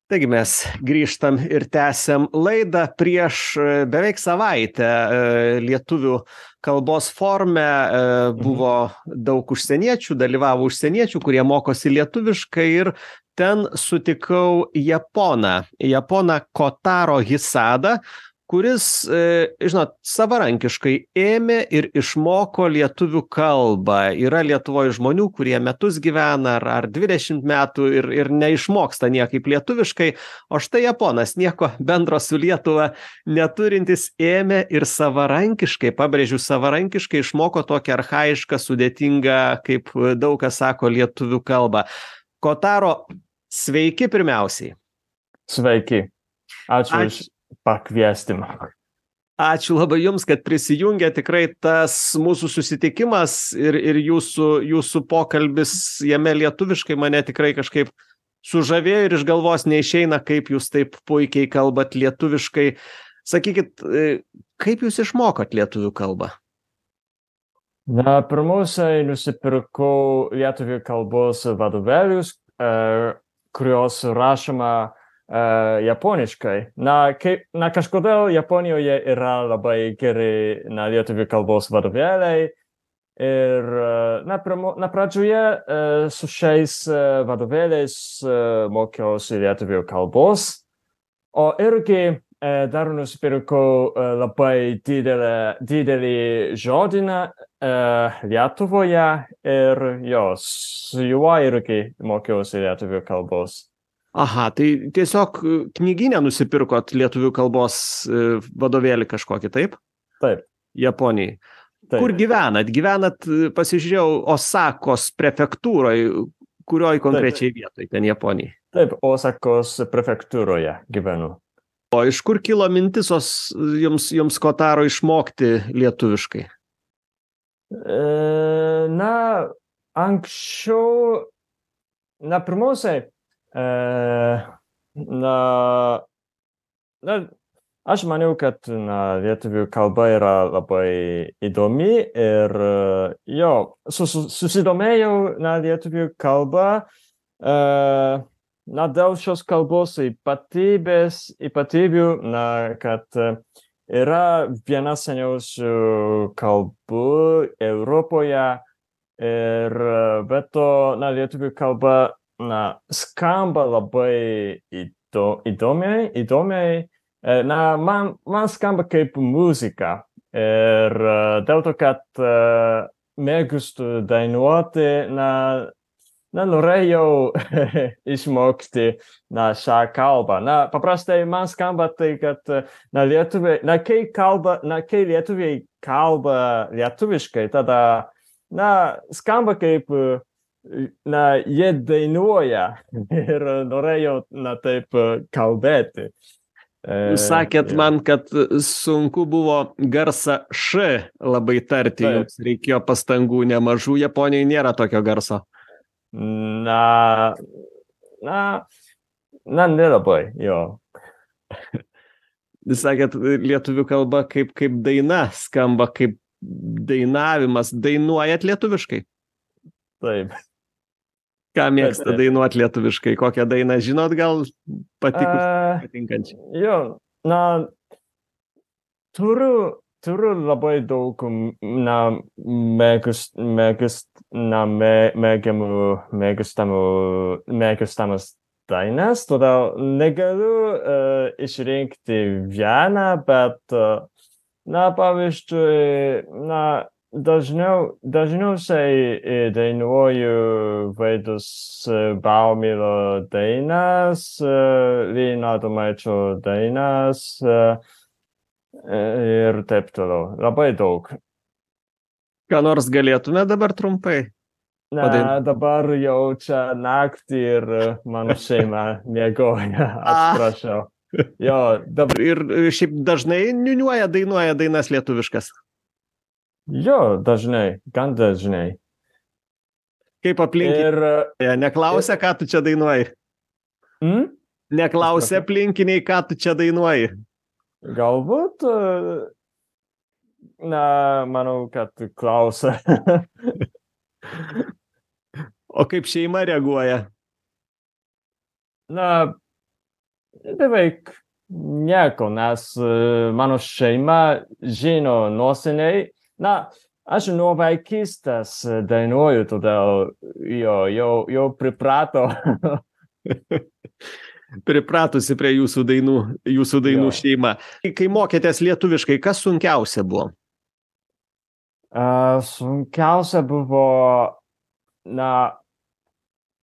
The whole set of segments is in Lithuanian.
Taigi mes grįžtam ir tęsiam laidą. Prieš beveik savaitę lietuvių kalbos forume buvo daug užsieniečių, dalyvavo užsieniečių, kurie mokosi lietuviškai ir ten sutikau Japoną Kotaro Hisadą, kuris, žinot, savarankiškai ėmė ir išmoko lietuvių kalbą. Yra Lietuvoje žmonių, kurie metus gyvena ar 20 metų ir neišmoksta niekaip lietuviškai, o štai Japonas, nieko bendro su Lietuva neturintis, ėmė ir savarankiškai, pabrėžiu, savarankiškai išmoko tokią archaišką, sudėtingą, kaip daug kas sako, lietuvių kalbą. Kotaro, sveiki pirmiausiai. Sveiki. Ačiū už pakviestimą. Ačiū labai Jums, kad prisijungė. Tikrai tas mūsų susitikimas ir jūsų pokalbis jame lietuviškai mane tikrai kažkaip sužavėjo ir iš galvos neišeina, kaip Jūs taip puikiai kalbat lietuviškai. Sakykit, kaip Jūs išmokot lietuvių kalbą? Na, pirmiausiai nusipirkau lietuvių kalbos vadovėlius, kurios rašoma japoniškai. Kažkodėl Japonijoje yra labai geri lietuvių kalbos vadovėliai ir pradžioje su šiais vadovėliais mokiausi lietuvių kalbos, o irgi dar nusipirkau labai didelį žodyną Lietuvoje ir su juo irgi mokiausi lietuvių kalbos. Aha, tai tiesiog knygyne nusipirkot lietuvių kalbos vadovėlį kažkokį, taip? Taip. Japonijai. Taip. Kur gyvenat? Gyvenat, pasižiūrėjau, Osakos prefektūroje, kurioj konkrečiai vietoj ten Japonijai? Taip, Osakos prefektūroje gyvenu. O iš kur kilo mintis jums Kotaro išmokti lietuviškai? Anksčiau, pirmiausiai, aš maniau, kad lietuvių kalba yra labai įdomi ir susidomėjau lietuvių kalbą dėl šios kalbos ypatybių, kad yra viena seniausių kalbų Europoje ir be to lietuvių kalba skamba labai įdomiai. Man skamba kaip muzika ir dėl to, kad mėgstu dainuoti, norėjau išmokti šią kalbą. Paprastai man skamba tai, kad kai lietuviai kalba lietuviškai, tada skamba kaip jie dainuoja ir norėjau taip kalbėti. Jūs sakėt man, kad sunku buvo garsą š labai tarti, jums reikėjo pastangų nemažų, Japonijoje nėra tokio garso. Nelabai, jo. Jūs sakėt, lietuvių kalba kaip daina skamba, kaip dainavimas. Dainuojat lietuviškai? Taip. Ką mėgsta dainuoti lietuviškai? Kokią dainą žinot, gal patinkančią? Turiu labai daug mėgstamas dainas, todėl negaliu išrinkti vieną, bet pavyzdžiui, dažniausiai dainuoju Vaidus Baumilo dainas, Lino Adomaičio dainas ir taip toliau. Labai daug. Ką nors galėtume dabar trumpai? Dabar jau čia naktį ir mano šeima miegoja, atsiprašau. Ir šiaip dažnai dainuoja dainas lietuviškas? Dažnai, gan dažnai. Kaip aplinkiniai? Neklausia, ką tu čia dainuoji? Neklausia aplinkiniai, ką tu čia dainuoji? Galbūt, manau, kad klausia. O kaip šeima reaguoja? Beveik nieko, nes mano šeima žino nuo seniai. Na, aš nuo vaikystės dainuoju, todėl jau priprato. Pripratusi prie jūsų dainų Jo. šeima. Kai mokėtės lietuviškai, kas sunkiausia buvo? Sunkiausia buvo, na,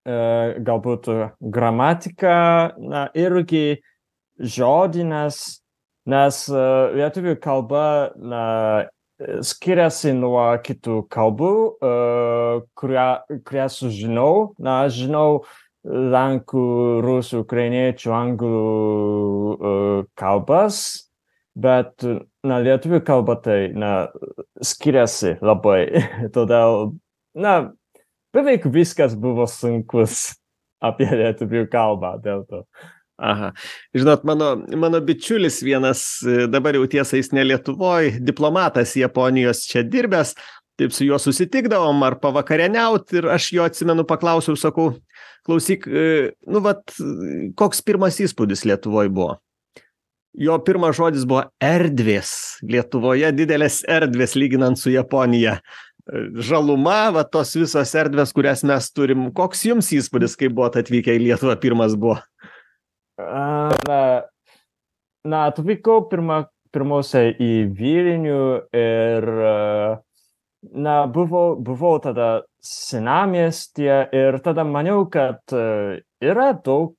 galbūt gramatika, na, irgi žodinės, nes lietuvių kalba, na, skiriasi nuo kitų kalbų, kurią sužinau. Na, aš žinau lenkų, rusų, ukrainiečių, anglų kalbas, bet, na, lietuvių kalba tai, na, skiriasi labai. Todėl, na, beveik viskas buvo sunkus apie lietuvių kalbą dėl to. Aha. Žinot, mano bičiulis vienas, dabar jau tiesa jis ne Lietuvoj, diplomatas Japonijos čia dirbęs, taip su juo susitikdavom ar pavakarieniaut ir aš jo atsimenu paklausiau, sakau, klausyk, nu vat, koks pirmas įspūdis Lietuvoj buvo? Jo pirmas žodis buvo erdvės. Lietuvoje didelės erdvės lyginant su Japonija. Žaluma, va tos visos erdvės, kurias mes turim. Koks jums įspūdis, kai buvot atvykę į Lietuvą, pirmas buvo? Na, atvykau pirmiausia į Vilnių ir, na, buvau tada senamiestyje ir tada maniau, kad yra daug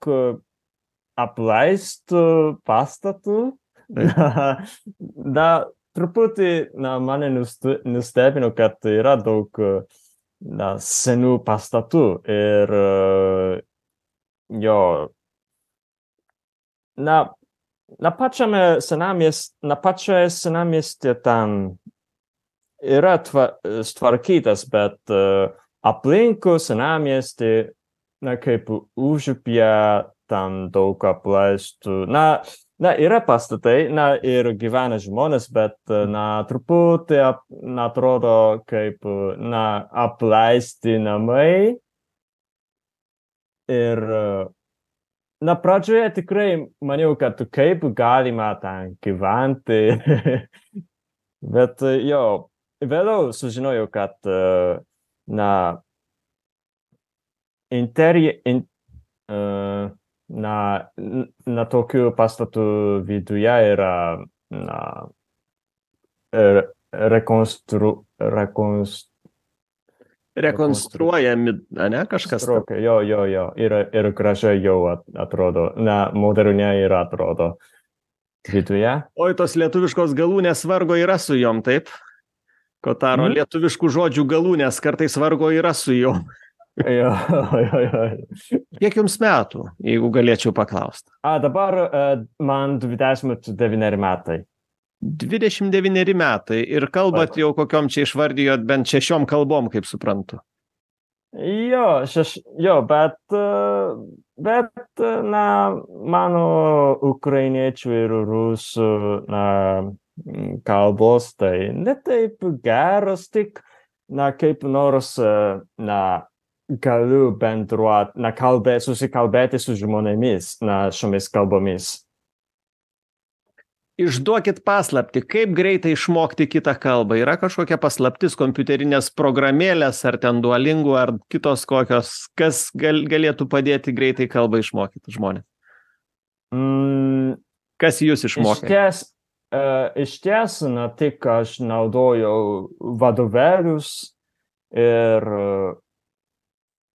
apleistų pastatų. Na, truputį, na, mane nustebino, kad yra daug, na, senų pastatų ir jo. Na pačioje senamiestyje ten yra tvarkytas, bet aplinkų senamiestį, na, kaip užupyje, ten daug apleistų. Na, yra pastatai, na, ir gyvena žmonės, bet, na, truputį, atrodo, kaip, na, apleisti namai. Ir na, pradžioje tikrai maniau, kad kaip galima ten gyventi, bet jo, vėliau sužinojau, kad, na, na, tokių pastatų viduje yra, na, Rekonstruojami, ne, kažkas. Jo, ir gražiai jau atrodo, na, moderniai ir atrodo viduje. Oi, tos lietuviškos galūnės vargo yra su jom, taip? Kotaro, lietuviškų žodžių galūnės kartais vargo yra su jom. Jo. Kiek jums metų, jeigu galėčiau paklausti? Dabar man 29 metai. 29 metai ir kalbat jau kokiom čia išvardijot bent 6 kalbom, kaip suprantu. Jo, bet, na, mano ukrainiečių ir rusų, na, kalbos tai ne taip geros, tik, na, kaip nors, na, galiu bendruoti, na, susikalbėti su žmonėmis, na, šiomis kalbomis. Išduokit paslaptį, kaip greitai išmokti kitą kalbą. Yra kažkokia paslaptis, kompiuterinės programėlės, ar ten Duolingo, ar kitos kokios, kas galėtų padėti greitai kalbą išmokyti žmonės? Kas jūs išmokė? Iš ties, na, tik aš naudojau vadovėlius ir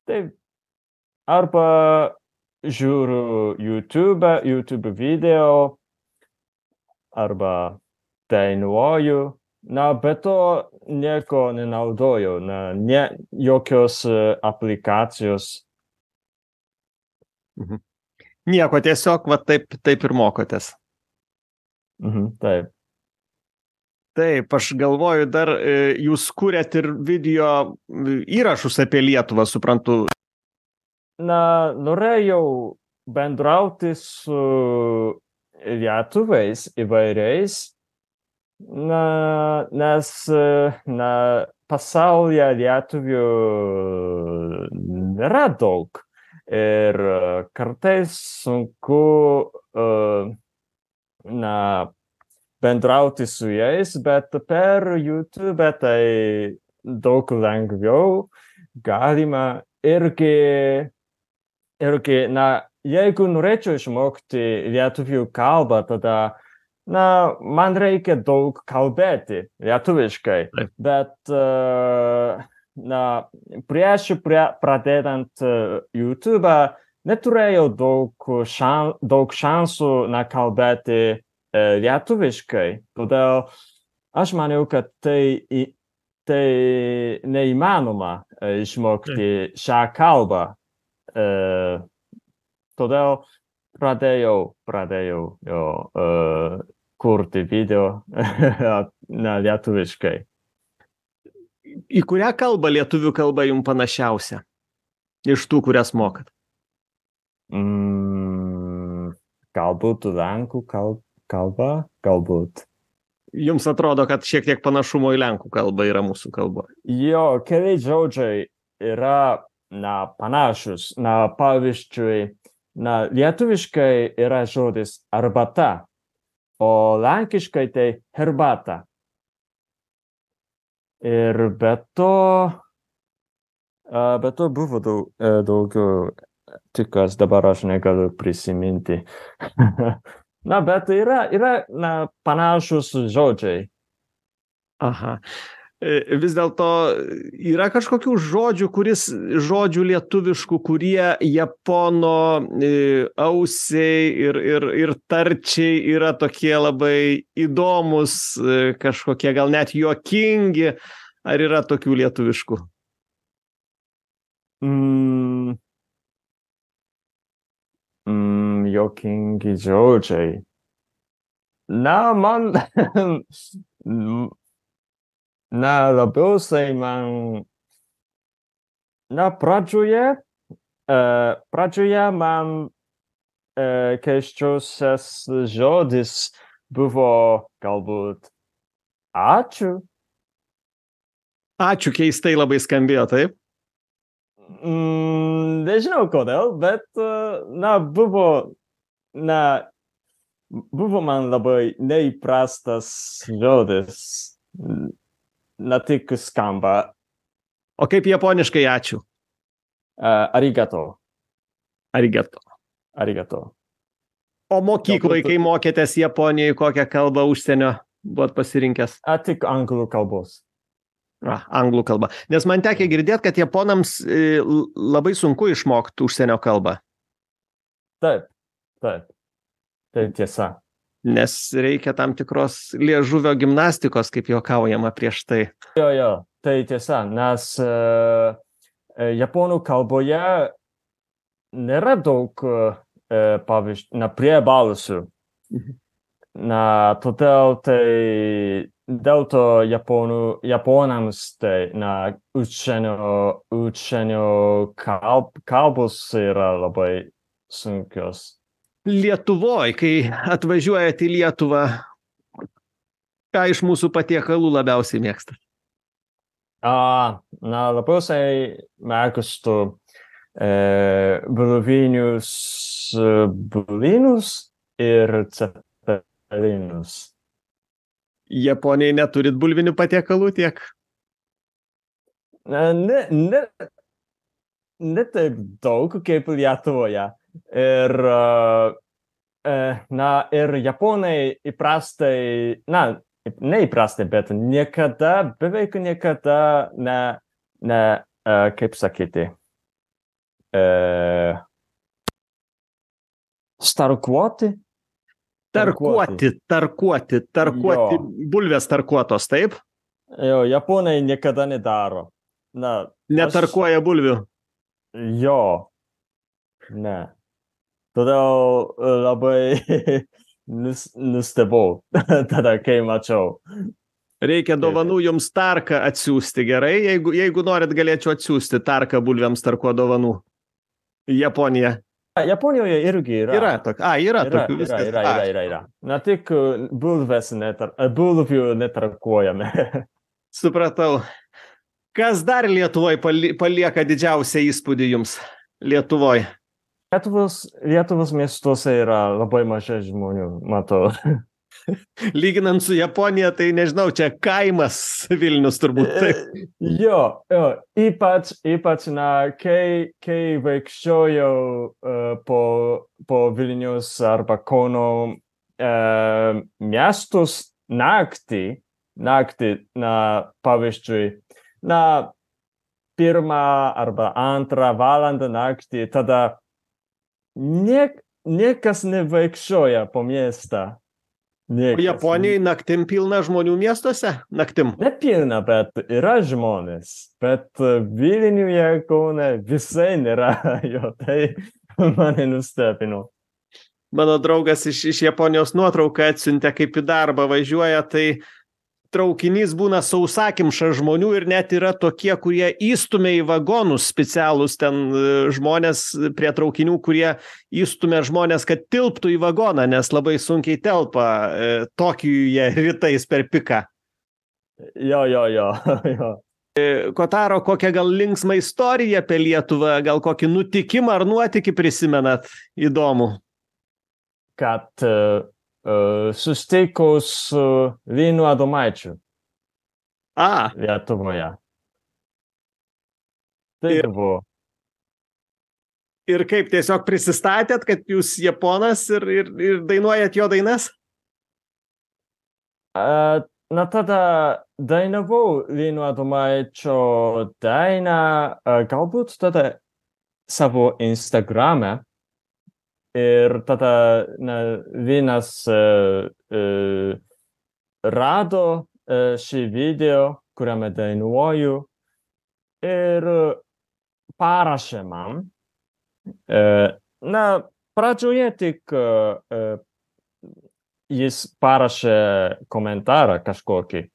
taip, arba žiūriu YouTube video, arba dainuoju, na, bet to nieko nenaudoju, na, jokios aplikacijos. Nieko, tiesiog, va, taip ir mokotės. Taip. Taip, aš galvoju, dar jūs kuriat ir video įrašus apie Lietuvą, suprantu. Na, norėjau bendrauti su lietuviais įvairiais, nes, pasaulyje lietuvių nėra daug. Ir kartais sunku bendrauti su jais, bet per YouTube tai daug lengviau galima irgi, jeigu norėčiau išmokti lietuvių kalbą, tada, man reikia daug kalbėti lietuviškai, bet, prieš pradedant YouTube neturėjau daug šansų kalbėti lietuviškai, todėl aš maniau, kad tai neįmanoma išmokti šią kalbą. Todėl pradėjau kurti video lietuviškai. Į kurią kalbą lietuvių kalba jums panašiausia? Iš tų, kurias mokat? Galbūt lenkų kalba, galbūt. Jums atrodo, kad šiek tiek panašumo į lenkų kalbą yra mūsų kalba? Jo, keli žodžiai yra panašus. Pavyzdžiui, lietuviškai yra žodis arbata, o lenkiškai tai herbata. Ir be to buvo daugiau, tikas dabar aš negaliu prisiminti. Bet yra panašus žodžiai. Aha. Vis dėlto yra kažkokių žodžių lietuviškų, kurie japono ausiai ir tarčiai yra tokie labai įdomus, kažkokie gal net juokingi. Ar yra tokių lietuviškų? Juokingi žodžiai. Man labiausiai man pradžioje man keisčiausias žodis buvo galbūt ačiū. Ačiū keistai labai skambėjo, taip? Nežinau kodėl, bet buvo man labai neįprastas žodis. Tik skamba. O kaip japoniškai ačiū? Arigato. Arigato. O mokykloje, kai mokėtės Japonijoje, kokią kalbą užsienio buvot pasirinkęs? Tik anglų kalbos. Anglų kalba. Nes man tekia girdėti, kad japonams labai sunku išmokti užsienio kalbą. Taip. Tai tiesa. Nes reikia tam tikros liežuvio gimnastikos, kaip juokaujama prieš tai. Jo, tai tiesa, nes japonų kalboje nėra daug, pavyzdžiui, priebalsių. Todėl dėl to japonams tai, užsienio kalbos yra labai sunkios. Lietuvoj, kai atvažiuojat į Lietuvą, ką iš mūsų patiekalų labiausiai mėgstat? Labiausiai mėgstu blynus ir cepelinus. Japonijai neturit bulvinių patiekalų tiek? Ne taip daug kaip Lietuvoje. Ir japonai įprastai, neįprastai, bet beveik niekada kaip sakyti, Tarkuoti. Bulvės tarkuotos, taip? Jo, japonai niekada nedaro. Netarkuoja bulvių? Jo, ne. Todėl labai nustebau tada, kai mačiau. Reikia dovanų jums tarką atsiųsti, gerai? Jeigu norit, galėčiau atsiųsti tarką bulviams tarkuo dovanų. Japonija. Japonijoje irgi yra. Yra tokių. Yra. Tik bulvių netarkuojame. Supratau. Kas dar Lietuvoje palieka didžiausią įspūdį jums? Lietuvoj? Lietuvos miestuose yra labai mažai žmonių, matau. Lyginant su Japonija, tai nežinau, čia kaimas Vilnius turbūt. Taip. Jo, ypač, kai vaikščiojau po Vilnius arba Kauno miestus naktį, pavyzdžiui, pirmą arba antrą valandą naktį, tada niekas nevaikščioja po miestą. O Japonijai naktim pilna žmonių miestuose? Naktim? Ne pilna, bet yra žmonės. Bet Vilniuje, Kaune visai nėra jo. Tai mane nustebino. Mano draugas iš Japonijos nuotrauką atsiuntė, kaip į darbą važiuoja, tai traukinys būna sausakimša žmonių ir net yra tokie, kurie įstumia į vagonus specialus ten žmonės prie traukinių, kurie įstumia žmonės, kad tilptų į vagoną, nes labai sunkiai telpa Tokijuje rytais per piką. Jo. Kotaro, kokią gal linksmą istoriją apie Lietuvą, gal kokį nutikimą ar nuotykį prisimenat įdomų? Kad susitikau su Linu Adomaičiu Lietuvoje. Tai buvo. Ir kaip, tiesiog prisistatėt, kad jūs japonas ir dainuojat jo dainas? Tada dainavau Linu Adomaičio dainą, galbūt tada savo Instagrame. Ir tada Linas rado šį video, kuriame dainuoju, ir parašė man. Pradžioje tik jis parašė komentarą kažkokį.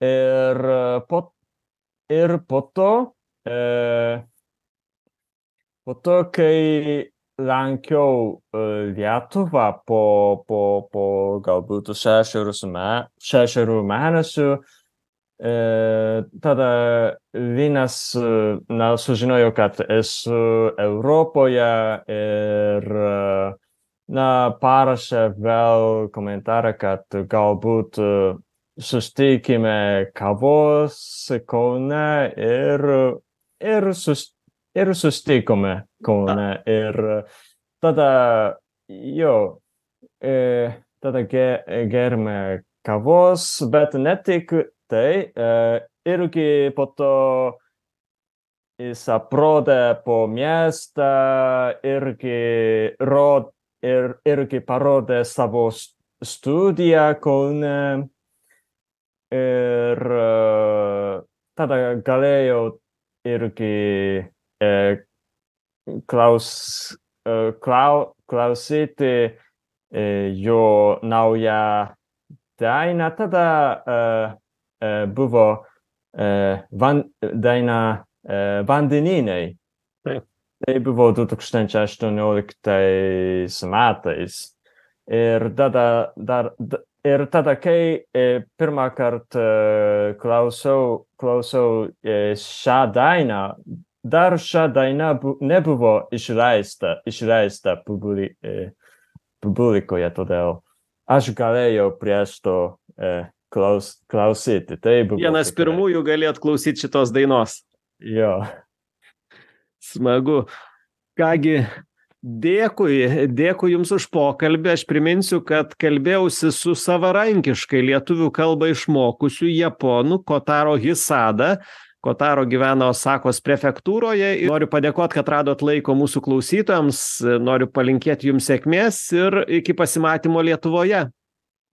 Ir po to, kai lankiau Lietuvą po galbūt 6 mėnesių, tada Linas sužinojo, kad esu Europoje ir parašė vėl komentarą, kad galbūt susitikime kavos Kaune ir susitikome Kaune ir tada gerėme kavos, bet ne tik tai, irgi po to jis aprodė po miestą, irgi parodė savo studiją Kaune ir tada galėjau irgi klausyti jo naują dainą. Tada buvo daina Vandenynai. Tai buvo 2018 metais. Ir tada, kai pirmą kartą klausau šią dainą, dar šią dainą nebuvo išleista publikoje, todėl aš galėjau prieš to klausyti. Tai buvo vienas pirmųjų galėt klausyti šitos dainos. Jo. Smagu. Kągi, dėkui Jums už pokalbį. Aš priminsiu, kad kalbėjausi su savarankiškai lietuvių kalbą išmokusiu japonu Kotaro Hisada. Kotaro gyvena Osakos prefektūroje. Noriu padėkoti, kad radot laiko mūsų klausytojams. Noriu palinkėti Jums sėkmės ir iki pasimatymo Lietuvoje.